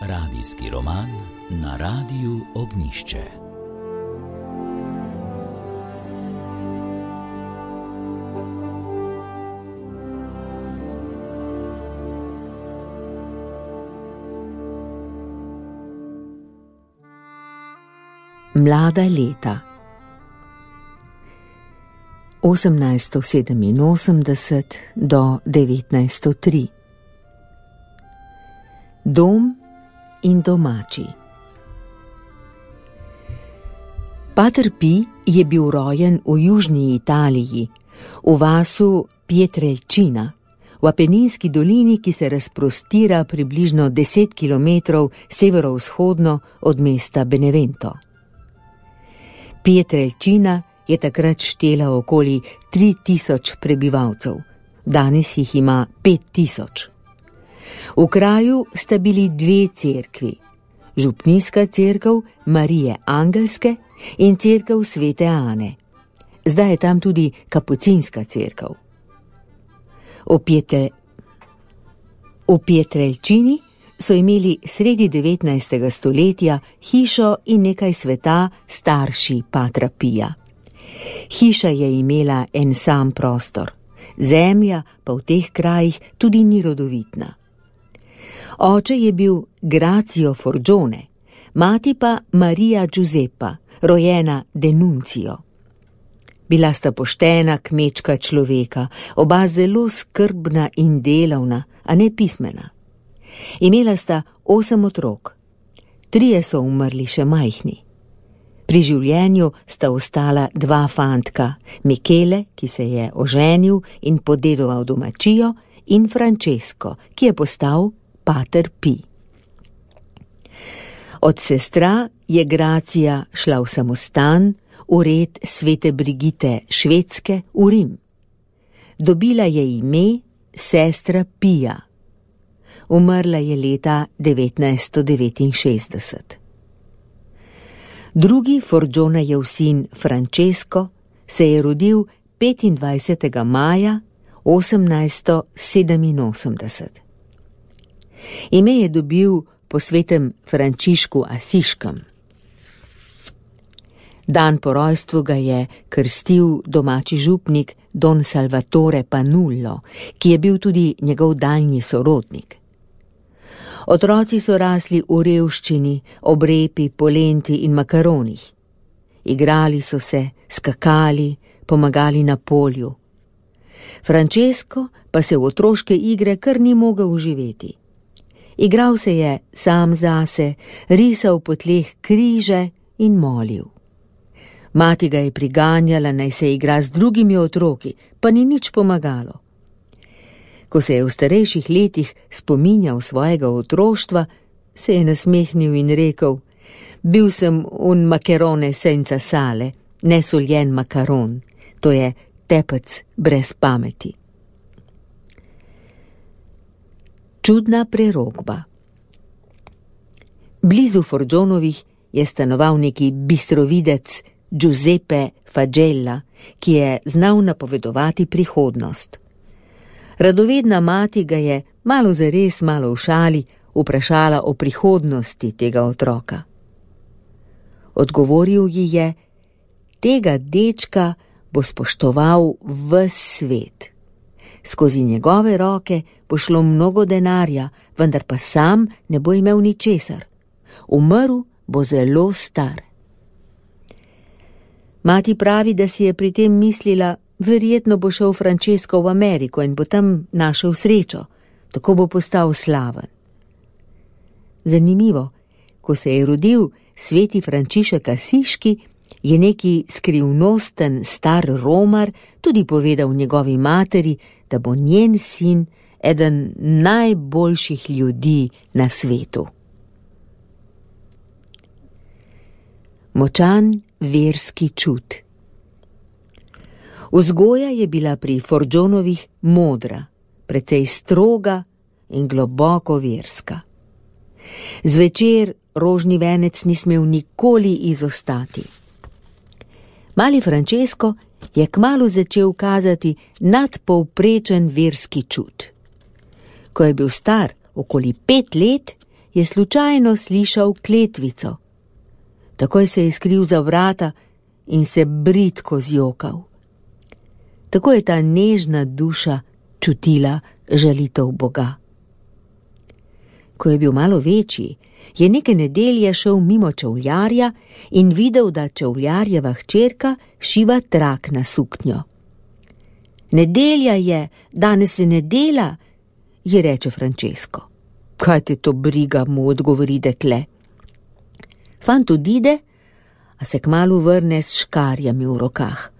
Radijski roman na Radiu Ognjišče. Mlada leta 1887 do 1903. Dom in domači. Pater Pi je bil rojen v južni Italiji, v vasu Pietrelcina, v Apeninski dolini, ki se razprostira približno 10 kilometrov severovzhodno od mesta Benevento. Pietrelcina je takrat štela okoli 3000 prebivalcev, danes jih ima 5000. V kraju sta bili dve cerkvi, župnijska cerkev Marije Angelske in cerkev Svete Ane. Zdaj je tam tudi kapucinska cerkev. V Pietrelcini so imeli sredi 19. stoletja hišo in nekaj sveta starši Patra Pija. Hiša je imela en sam prostor, zemlja pa v teh krajih tudi ni rodovitna. Oče je bil Grazio Forgione, mati pa Marija Giuseppa, rojena Denuncio. Bila sta poštena kmečka človeka, oba zelo skrbna in delavna, a ne pismena. Imela sta 8 otrok, 3 so umrli še majhni. Pri življenju sta ostala 2 fantka, Michele, ki se je oženil in podedoval domačijo, in Francesco, ki je postal Pater Pi. Od sestra je Grazia šla v samostan, v red Svete Brigite Švedske v Rim. Dobila je ime sestra Pija. Umrla je leta 1969. Drugi Forgionejev sin Francesco se je rodil 25. maja 1887. Ime je dobil po svetem Frančišku Asiškem. Dan po rojstvu ga je krstil domači župnik Don Salvatore Panullo, ki je bil tudi njegov daljni sorodnik. Otroci so rasli v revščini, ob repi, polenti in makaronih. Igrali so se, skakali, pomagali na polju. Francesco pa se v otroške igre kar ni mogel uživeti. Igral se je sam zase, risal po tleh križe in molil. Mati ga je priganjala, naj se igra z drugimi otroki, pa ni nič pomagalo. Ko se je v starejših letih spominjal svojega otroštva, se je nasmehnil in rekel: bil sem un macarone senza sale, nesoljen makaron, to je tepec brez pameti. Čudna prerokba. Blizu Forgionovih je stanoval neki bistrovidec Giuseppe Fagella, ki je znal napovedovati prihodnost. Radovedna mati ga je malo zares, malo v šali vprašala o prihodnosti tega otroka. Odgovoril ji je: tega dečka bo spoštoval ves svet. Skozi njegove roke bo šlo mnogo denarja, vendar pa sam ne bo imel ničesar. Umrl bo zelo star. Mati pravi, da si je pri tem mislila: verjetno bo šel Francesco v Ameriko in bo tam našel srečo, tako bo postal slaven. Zanimivo, ko se je rodil sveti Frančišek Asiški, je neki skrivnosten star romar tudi povedal njegovi materi, da bo njen sin eden najboljših ljudi na svetu. Močan verski čut. Vzgoja je bila pri Forgionovih modra, precej stroga in globoko verska. Zvečer rožni venec ni smel nikoli izostati. Mali Francesco je kmalu začel kazati nadpovprečen verski čut. Ko je bil star okoli 5 let, je slučajno slišal kletvico. Takoj se je skril za vrata in se bridko zjokal. Tako je ta nežna duša čutila žalitev Boga. Ko je bil malo večji, je neke nedelje šel mimo čevljarja in videl, da čevljarjeva hčerka šiva trak na suknjo. Nedelja je, danes se ne dela, ji reče Francesco. Kaj te to briga, mu odgovori dekle. Fant odide, a se kmalu vrne s škarjami v rokah.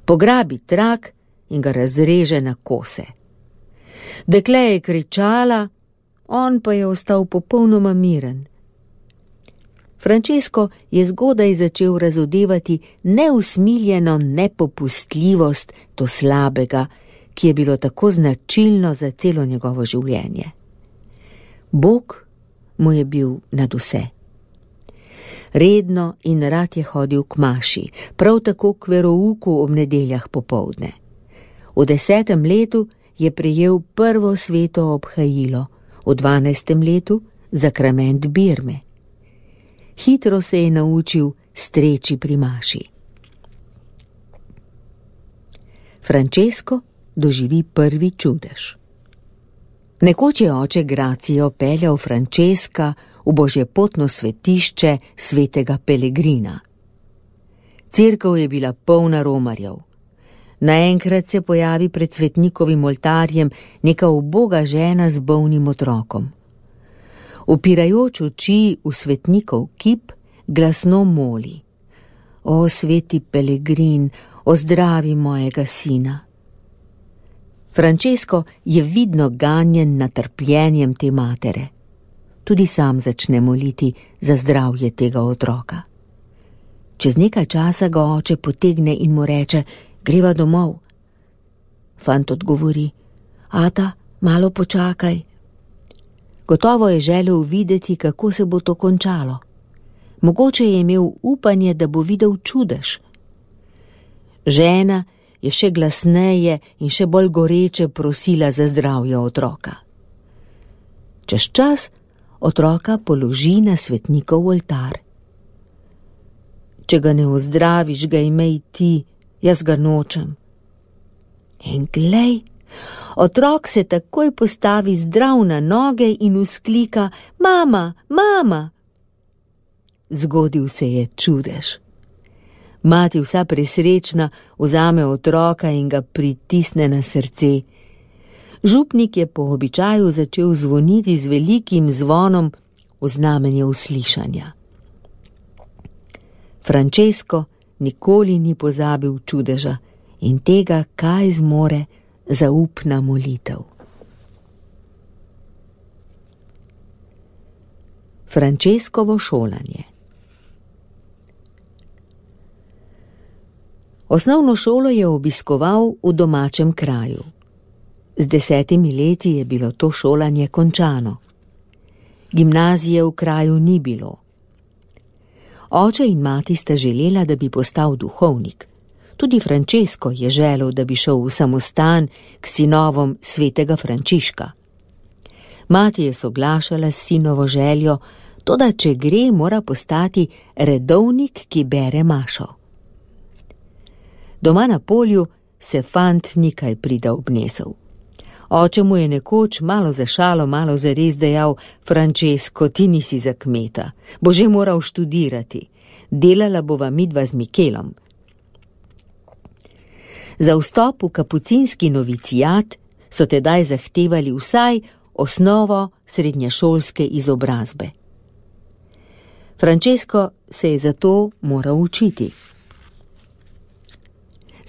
Pograbi trak in ga razreže na kose. Dekle je kričala, on pa je ostal popolnoma miren. Francesco je zgodaj začel razodevati neusmiljeno nepopustljivost do slabega, ki je bilo tako značilno za celo njegovo življenje. Bog mu je bil nad vse. Redno in rad je hodil k maši, prav tako k verouku ob nedeljah popoldne. V 10. letu je prejel prvo sveto obhajilo, v 12. letu zakrament birme. Hitro se je naučil streči pri maši. Francesco doživi prvi čudež. Nekoč je oče Gracio peljal Francesca v božjepotno svetišče svetega Pelegrina. Cerkev je bila polna romarjev. Naenkrat se pojavi pred svetnikovim oltarjem neka uboga žena z bolnim otrokom. Upirajoč oči v svetnikov kip, glasno moli: O sveti Pelegrin, ozdravi mojega sina. Francesco je vidno ganjen nad trpljenjem te matere. Tudi sam začne moliti za zdravje tega otroka. Čez nekaj časa ga oče potegne in mu reče: Greva domov. Fant odgovori: Ata, malo počakaj. Gotovo je želel videti, kako se bo to končalo. Mogoče je imel upanje, da bo videl čudež. Žena je še glasneje in še bolj goreče prosila za zdravje otroka. Čez čas otroka položi na svetnikov oltar. Če ga ne ozdraviš, ga imej ti, jaz ga nočem. In glej, otrok se takoj postavi zdrav na noge in vzklika: Mama, mama! Zgodil se je čudež. Mati vsa presrečna vzame otroka in ga pritisne na srce. Župnik je po običaju začel zvoniti z velikim zvonom v znamenje uslišanja. Francesco nikoli ni pozabil čudeža in tega, kaj zmore zaupna molitev. Francescovo šolanje. Osnovno šolo je obiskoval v domačem kraju. Z 10 leti je bilo to šolanje končano. Gimnazije v kraju ni bilo. Oče in mati sta želela, da bi postal duhovnik. Tudi Francesco je želel, da bi šel v samostan k sinovom svetega Frančiška. Mati je soglašala s sinovo željo, toda če gre, mora postati redovnik, ki bere mašo. Doma na polju se fant ni kaj prida obnesel. Oče mu je nekoč malo za šalo, malo za res dejal: Francesco, ti nisi za kmeta, bo že moral študirati, delala bova midva z Mikelom. Za vstop v kapucinski novicijat so tedaj zahtevali vsaj osnovo srednješolske izobrazbe. Francesco se je zato moral učiti.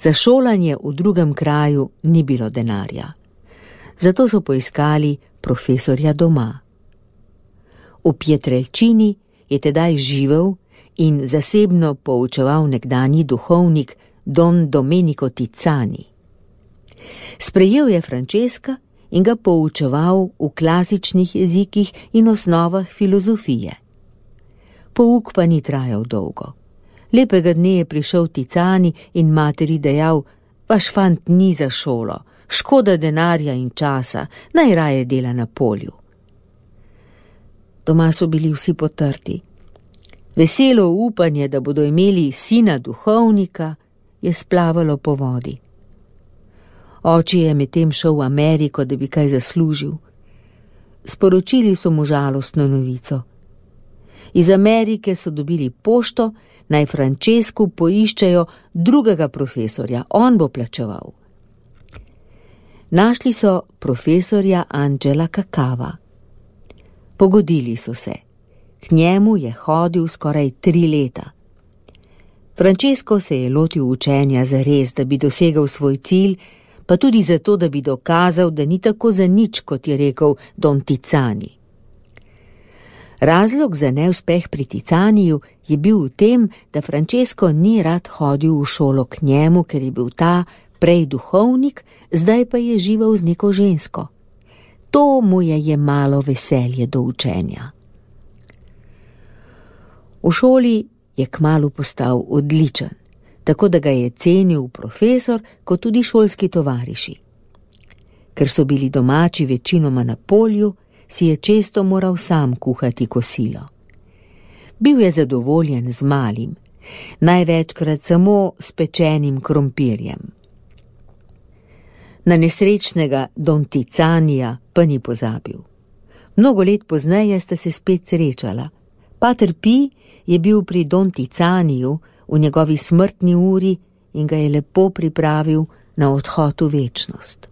Za šolanje v drugem kraju ni bilo denarja. Zato so poiskali profesorja doma. V Pietrelcini je tedaj živel in zasebno poučeval nekdanji duhovnik Don Domenico Tizzani. Sprejel je Francesca in ga poučeval v klasičnih jezikih in osnovah filozofije. Pouk pa ni trajal dolgo. Lepega dne je prišel Tizzani in materi dejal: Vaš fant ni za šolo, škoda denarja in časa, najraje dela na polju. Doma so bili vsi potrti. Veselo upanje, da bodo imeli sina duhovnika, je splavalo po vodi. Oči je medtem šel v Ameriko, da bi kaj zaslužil. Sporočili so mu žalostno novico. Iz Amerike so dobili pošto, naj Francesku poiščejo drugega profesorja, on bo plačeval. Našli so profesorja Angela Cacava. Pogodili so se. K njemu je hodil skoraj 3 leta. Francesco se je lotil učenja zares, da bi dosegel svoj cilj, pa tudi zato, da bi dokazal, da ni tako zanič, kot je rekel Don Tizzani. Razlog za neuspeh pri Tizzaniju je bil v tem, da Francesco ni rad hodil v šolo k njemu, ker je bil ta prej duhovnik, zdaj pa je živel z neko žensko. To mu je jemalo veselje do učenja. V šoli je kmalu postal odličen, tako da ga je cenil profesor kot tudi šolski tovariši. Ker so bili domači večinoma na polju, si je često moral sam kuhati kosilo. Bil je zadovoljen z malim, največkrat samo s pečenim krompirjem. Na nesrečnega Don Tizzanija pa ni pozabil. Mnogo let pozneje sta se spet srečala. Pater Pi je bil pri Don Tizzaniju v njegovi smrtni uri in ga je lepo pripravil na odhod v večnost.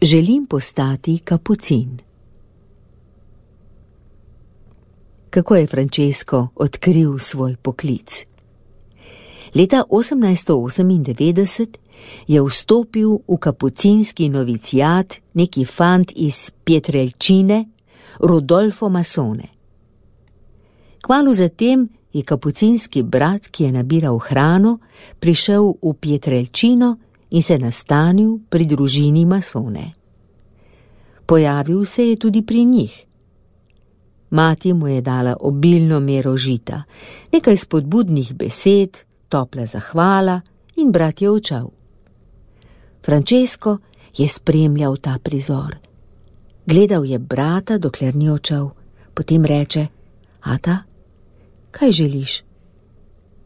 Želim postati kapucin. Kako je Francesco odkril svoj poklic? Leta 1898 je vstopil v kapucinski novicijat neki fant iz Pietrelcine, Rodolfo Masone. Kmalu zatem je kapucinski brat, ki je nabiral hrano, prišel v Pietrelcino in se nastanil pri družini Masone. Pojavil se je tudi pri njih. Mati mu je dala obilno mero žita, nekaj spodbudnih besed, topla zahvala in brat je odšel. Francesco je spremljal ta prizor. Gledal je brata, dokler ni odšel, potem reče: Ata, kaj želiš?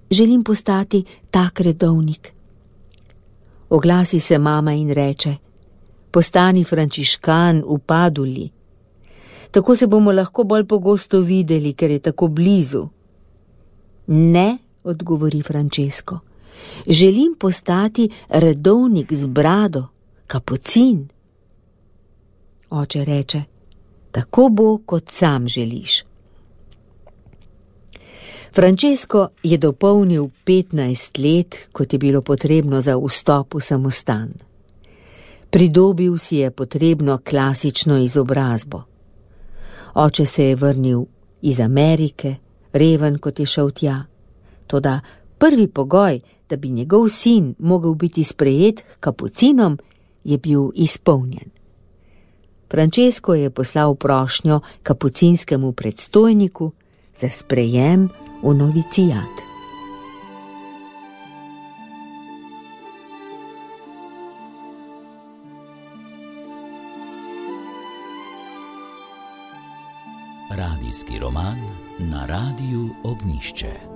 Želim postati tak redovnik. Oglasi se mama in reče: postani frančiškan v Paduli. Tako se bomo lahko bolj pogosto videli, ker je tako blizu. Ne, odgovori Francesco, želim postati redovnik z brado, kapucin. Oče reče: tako bo, kot sam želiš. Francesco je dopolnil 15 let, kot je bilo potrebno za vstop v samostan. Pridobil si je potrebno klasično izobrazbo. Oče se je vrnil iz Amerike, reven, kot je šel tja. Toda prvi pogoj, da bi njegov sin mogel biti sprejet k kapucinom, je bil izpolnjen. Francesco je poslal prošnjo kapucinskemu predstojniku za sprejem v novicijat. Radijski roman na Radiu Ognjišče.